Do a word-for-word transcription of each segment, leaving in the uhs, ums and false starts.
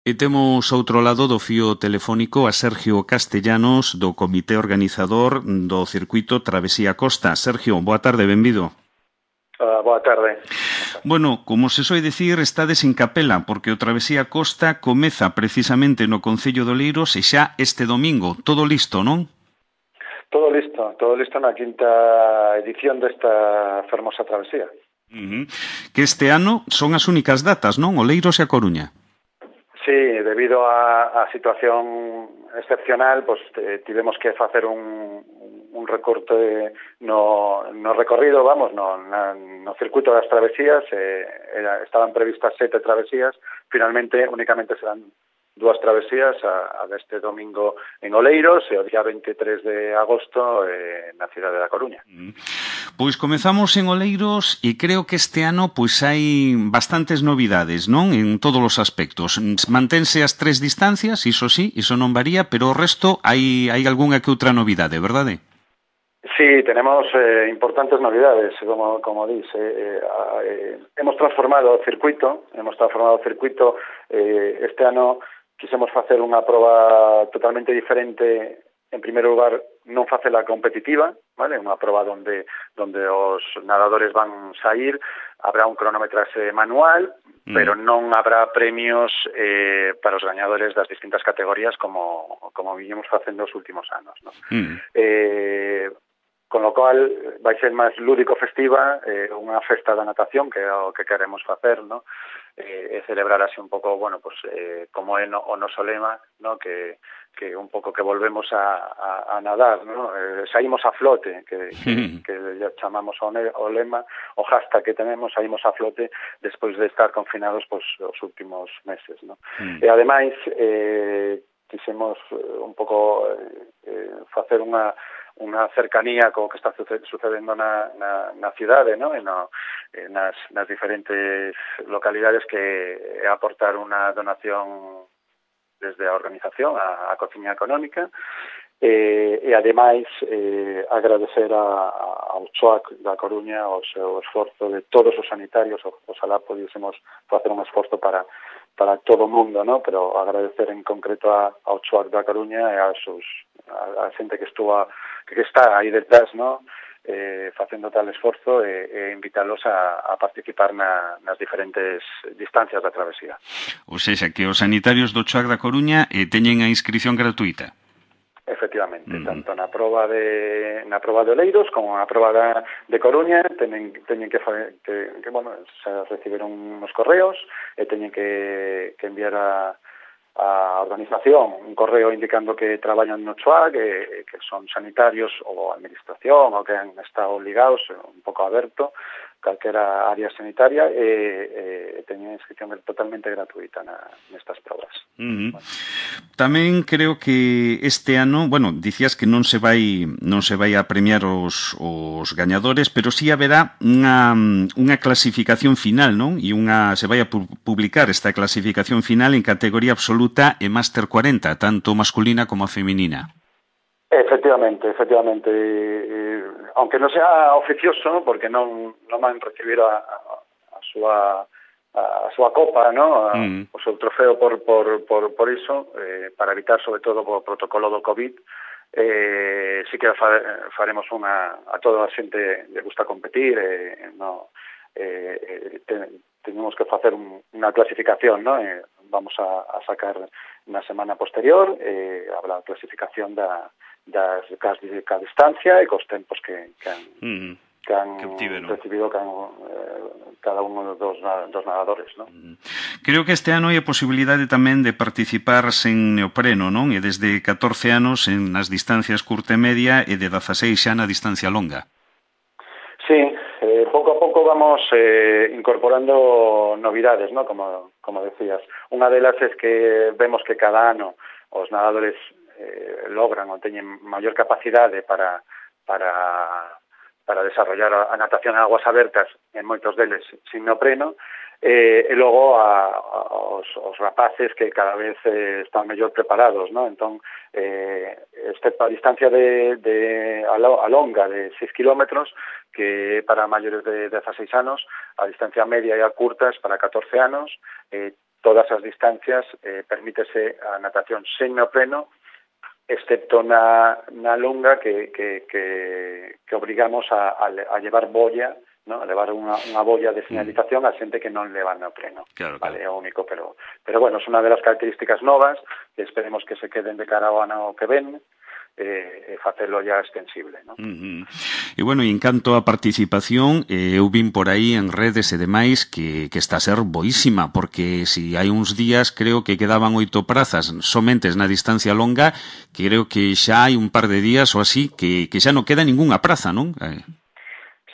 E temos outro lado do fío telefónico a Sergio Castellanos do Comité Organizador do Circuito Travesía Costa. Sergio, boa tarde, benvido. Uh, boa tarde. Bueno, como se soe dicir, estades en capela, porque o Travesía Costa comeza precisamente no Concello de Oleiros e xa este domingo. Todo listo, non? Todo listo, todo listo na quinta edición desta fermosa travesía. Uh-huh. Que este ano son as únicas datas, non? Oleiros e a Coruña. Sí, debido a, a situación excepcional, pues eh, tivemos que facer un, un recorte no, no recorrido, vamos, no, na, no circuito das travesías, eh, era, estaban previstas sete travesías, finalmente únicamente serán dúas travesías, a, a deste domingo en Oleiros e o día veintitrés de agosto eh, na cidade da Coruña. Pois comezamos en Oleiros e creo que este ano pois hai bastantes novidades, non? En todos os aspectos. Mantense as tres distancias, iso sí, iso non varía, pero o resto hai, hai algunha que outra novidade, verdade? Sí, tenemos eh, importantes novedades, como, como dice. Eh, eh, hemos transformado o circuito, hemos transformado o circuito eh, este ano. Quisemos facer unha proba totalmente diferente. En primeiro lugar, non facela competitiva, vale? Unha proba donde donde os nadadores van sair, habrá un cronómetrase manual, mm. pero non habrá premios eh, para os gañadores das distintas categorías como como viñemos facendo os últimos anos, ¿no? Mm. Eh, con lo cual vai ser máis lúdico festiva, eh, unha festa da natación, que é o que queremos facer, ¿no? Eh, e celebrar así un pouco, bueno, pues eh, como é no, o noso lema, ¿no? Que, que un pouco que volvemos a, a, a nadar, ¿no? Eh, saímos a flote, que, que, que ya chamamos o, ne, o lema, o hashtag que tenemos, saímos a flote despois de estar confinados pues, os últimos meses, ¿no? Mm. E ademais, eh, quixemos un pouco eh, facer unha unha cercanía co que está sucedendo na, na, na cidade, ¿no? E no, eh, nas, nas diferentes localidades, que é aportar unha donación desde a organización a, a Cociña Económica, e, e ademais eh, agradecer a, a, ao CHOAC da Coruña o seu esforzo de todos os sanitarios. Oxalá podísemos facer un esforzo para para todo o mundo, ¿no? Pero agradecer en concreto a, ao CHOAC da Coruña e a, sus, a, a xente que estuvo que está aí detrás, ¿no? Eh, facendo tal esforzo e, e invítalos a, a participar na, nas diferentes distancias da travesía. Ou seja, que os sanitarios do CHOAC da Coruña eh, teñen a inscripción gratuita. Efectivamente, uh-huh. tanto na proba de na proba de Oleiros como na proba da, de Coruña teñen, teñen que, que, que bueno, se recibiron uns correos e teñen que, que enviar a, a organización un correo indicando que traballan no CHOAC, que, que son sanitarios ou administración ou que han estado ligados, un pouco aberto, calquera área sanitaria, e, e teñen inscripción totalmente gratuita na, nestas probas. Uh-huh. Bueno. Tamén creo que este ano, bueno, dicías que non se vai non se vai a premiar os, os gañadores, pero sí haberá unha, unha clasificación final, non? E unha se vai a pu- publicar esta clasificación final en categoría absoluta e Máster cuarenta, tanto masculina como feminina. Efectivamente, efectivamente. Eh, aunque non sea oficioso, porque non, non van recibir a, a, a súa a súa copa, ¿no? A, mm. o seu trofeo por, por, por, por iso, eh, para evitar, sobre todo, o protocolo do COVID, eh, sí que fa, faremos unha, a toda a xente le gusta competir, eh, no, eh, te, tenemos que facer un, unha clasificación, ¿no? Eh, vamos a, a sacar na semana posterior, eh, habrá clasificación da das de cada distancia e cos tempos que, que han, mm. que han que recibido cada, eh, cada uno dos, dos nadadores, ¿no? Mm. Creo que este ano hai a posibilidade tamén de participar sen neopreno, non? E desde catorce anos en nas distancias curta e media e de dezaseis xa na distancia longa. Sí, eh, pouco a pouco vamos eh, incorporando novidades, ¿no? Como, como decías. Unha delas es que vemos que cada ano os nadadores eh, logran ou teñen maior capacidade para para para desarrollar a natación en aguas abertas, en moitos deles sin neopreno, eh, e logo a, a, os, os rapaces que cada vez eh, están mellor preparados, ¿no? Entón, eh, excepto a distancia de, de a, lo, a longa de seis kilómetros, que para maiores de dezaseis anos, a distancia media e a curtas para catorce anos, eh, todas as distancias eh, permítese a natación sen neopreno, excepto na, na longa que, que, que, que obrigamos a, a, a llevar boia, ¿no? A levar unha, unha boia de señalización a xente que non leva neopreno. Claro, claro. Vale, é o único, pero, pero bueno, é unha das características novas que esperemos que se queden de cara ao ano que ven, e eh, facelo ya extensible, ¿no? Uh -huh. E bueno, en canto a participación, eh, eu vin por aí en redes e demais que, que está a ser boísima, porque si hai uns días creo que quedaban oito prazas somentes na distancia longa, que creo que xa hai un par de días ou así que, que xa non queda ningunha praza, non? Eh.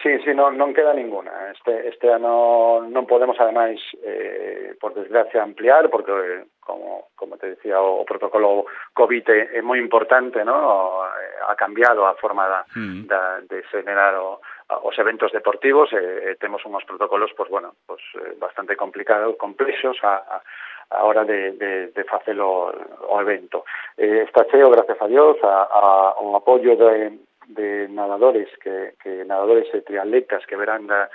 Sí, sí, non, non queda ninguna. Este, este ano non podemos, ademais, eh, por desgracia, ampliar, porque, eh, como, como te decía, o, o protocolo COVID é, é moi importante, ¿no? Ha cambiado a forma da, mm. da, de generar o, os eventos deportivos, e eh, temos uns protocolos, pues, bueno, pues, eh, bastante complicados, complexos, a, a a hora de, de, de facer o, o evento. Eh, está cheo, gracias a Dios, a, a un apoio de, de nadadores, que, que nadadores e triatletas que verán da,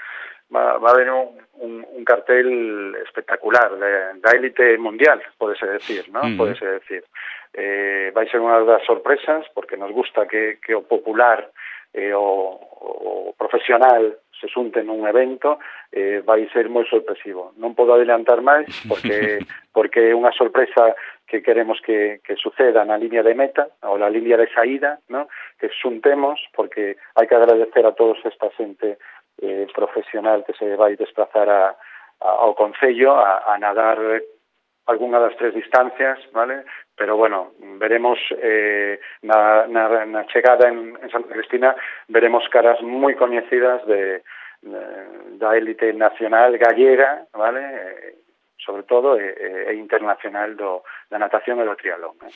va, va a haber un, un, un cartel espectacular de, da élite mundial, podese decir, ¿no? Uh -huh. Podese decir. Eh, vai ser unha das sorpresas, porque nos gusta que, que o popular e o, o profesional se xunten nun evento, eh, vai ser moi sorpresivo. Non podo adelantar máis, porque porque é unha sorpresa que queremos que, que suceda na línea de meta, ou na línea de saída, ¿no? Que xuntemos, porque hai que agradecer a todos esta xente eh, profesional que se vai desplazar a, a, ao Concello a, a nadar algunha das tres distancias, ¿vale? Pero, bueno, veremos eh, na, na, na chegada en, en Santa Cristina, veremos caras moi coñecidas de, de, da élite nacional gallega, ¿vale? Eh, sobre todo, e, e internacional do, da natación e do triatlón. Eh.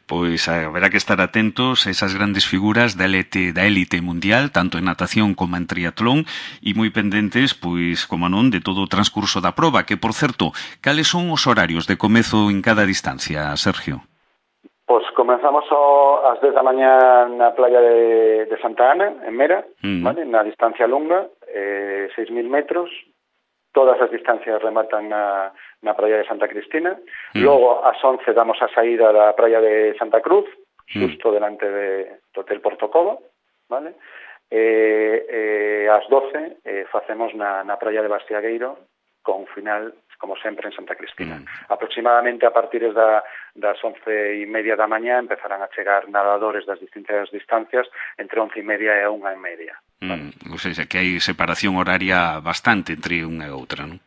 Pois haberá que estar atentos a esas grandes figuras da élite, da élite mundial, tanto en natación como en triatlón, e moi pendentes, pois, como non, de todo o transcurso da proba, que, por certo, cales son os horarios de comezo en cada distancia, Sergio? Pois comenzamos o, ás dez da mañá na playa de, de Santa Ana, en Mera, mm. ¿vale? Na distancia longa, eh, seis mil metros. Todas as distancias rematan na, na praia de Santa Cristina. Mm. Logo, ás once, damos a saída da praia de Santa Cruz, xusto mm. delante de, do Hotel Portocobo, ¿vale? E, e ás doce eh, facemos na, na praia de Bastiagueiro, con final, como sempre, en Santa Cristina. Mm. Aproximadamente a partir da, das once e media da mañá empezarán a chegar nadadores das distintas distancias entre once e media e unha e media. Mm, ou seja, que hai separación horaria bastante entre unha e outra, non?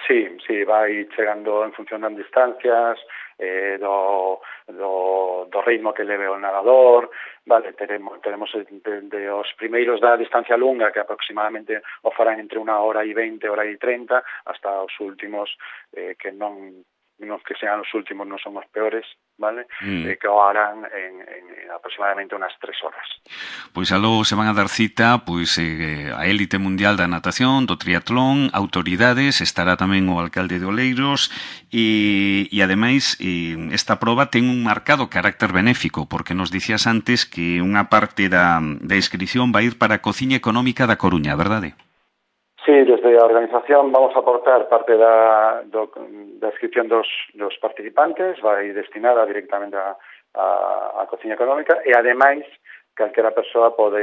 Sí, sí, vai chegando en función das distancias, eh, do, do, do ritmo que leve o nadador, vale, teremos, tenemos de, de os primeiros da distancia longa, que aproximadamente o farán entre unha hora e veinte, hora e treinta, hasta os últimos, eh, que non, non que sean os últimos, non son os peores, vale? Mm. Eh, que o harán en, en, en aproximadamente unas tres horas. Pois aló se van a dar cita pois eh, a élite mundial da natación, do triatlón, autoridades, estará tamén o alcalde de Oleiros e, e ademais eh, esta proba ten un marcado carácter benéfico, porque nos dicías antes que unha parte da, da inscripción vai ir para a cociña económica da Coruña, verdade? Sí, desde a organización vamos a aportar parte da, do, da inscripción dos, dos participantes, vai destinada directamente a, a, a cociña económica, e ademais calquera persoa pode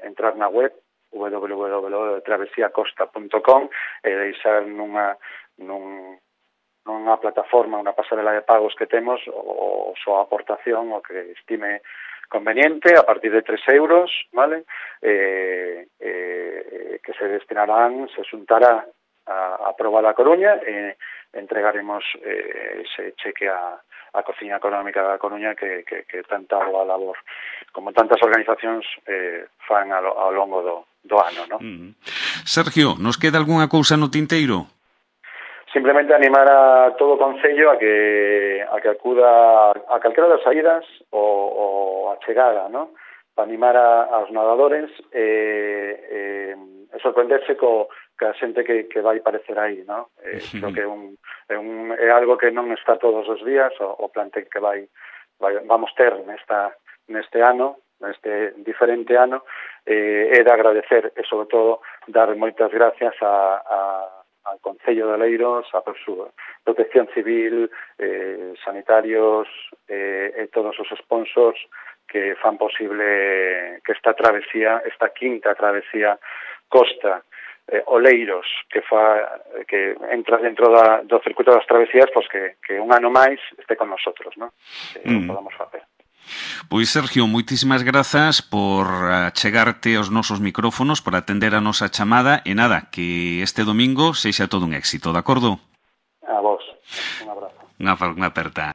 entrar na web w w w punto travesía costa punto com e deixar nunha, nun, nunha plataforma, unha pasarela de pagos que temos o, o súa aportación, o que estime conveniente, a partir de tres euros, ¿vale? Eh, eh, que se destinarán, se xuntará a, a proba da Coruña e entregaremos eh, ese cheque a, a Cociña Económica da Coruña que, que, que tanta boa labor, como tantas organizacións eh, fan ao, ao longo do, do ano, ¿no? Mm. Sergio, nos queda algunha cousa no tinteiro? Simplemente animar a todo o Concello a que a que acuda a calquera das saídas ou a chegada, ¿no? Para animar a, aos nadadores e, e, e sorprenderse co que a xente que, que vai parecer aí, ¿no? Eh, creo que é, un, é, un, é algo que non está todos os días, o, o plantel que vai, vai vamos ter nesta neste ano, neste diferente ano, eh, é de agradecer e, sobre todo, dar moitas gracias a, a al Concello de Oleiros, a Protección Civil, eh, sanitarios eh, e todos os sponsors que fan posible que esta travesía, esta quinta travesía costa eh, Oleiros, que fa que entra dentro da, do circuito das travesías, pois que, que un ano máis este con nosotros, ¿no? Que mm. podamos facer. Pois, Sergio, moitísimas grazas por achegarte aos nosos micrófonos, por atender a nosa chamada, e nada, que este domingo sexa todo un éxito, de acordo? A vos, un abrazo. Unha, unha aperta.